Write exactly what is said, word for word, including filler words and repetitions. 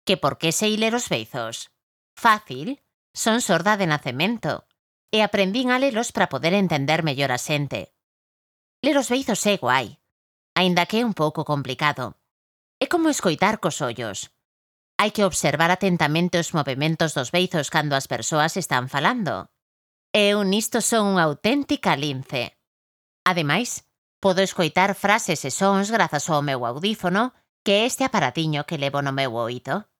Que por que sei ler os beizos? Fácil, son sorda de nacemento e aprendín a lelos para poder entender mellor a xente. Ler os beizos é guai, aínda que é un pouco complicado. É como escoitar cos ollos. Hai que observar atentamente os movementos dos beizos cando as persoas están falando. Eu nisto son unha auténtica lince. Ademais, podo escoitar frases e sons grazas ao meu audífono, que é este aparatiño que levo no meu oído.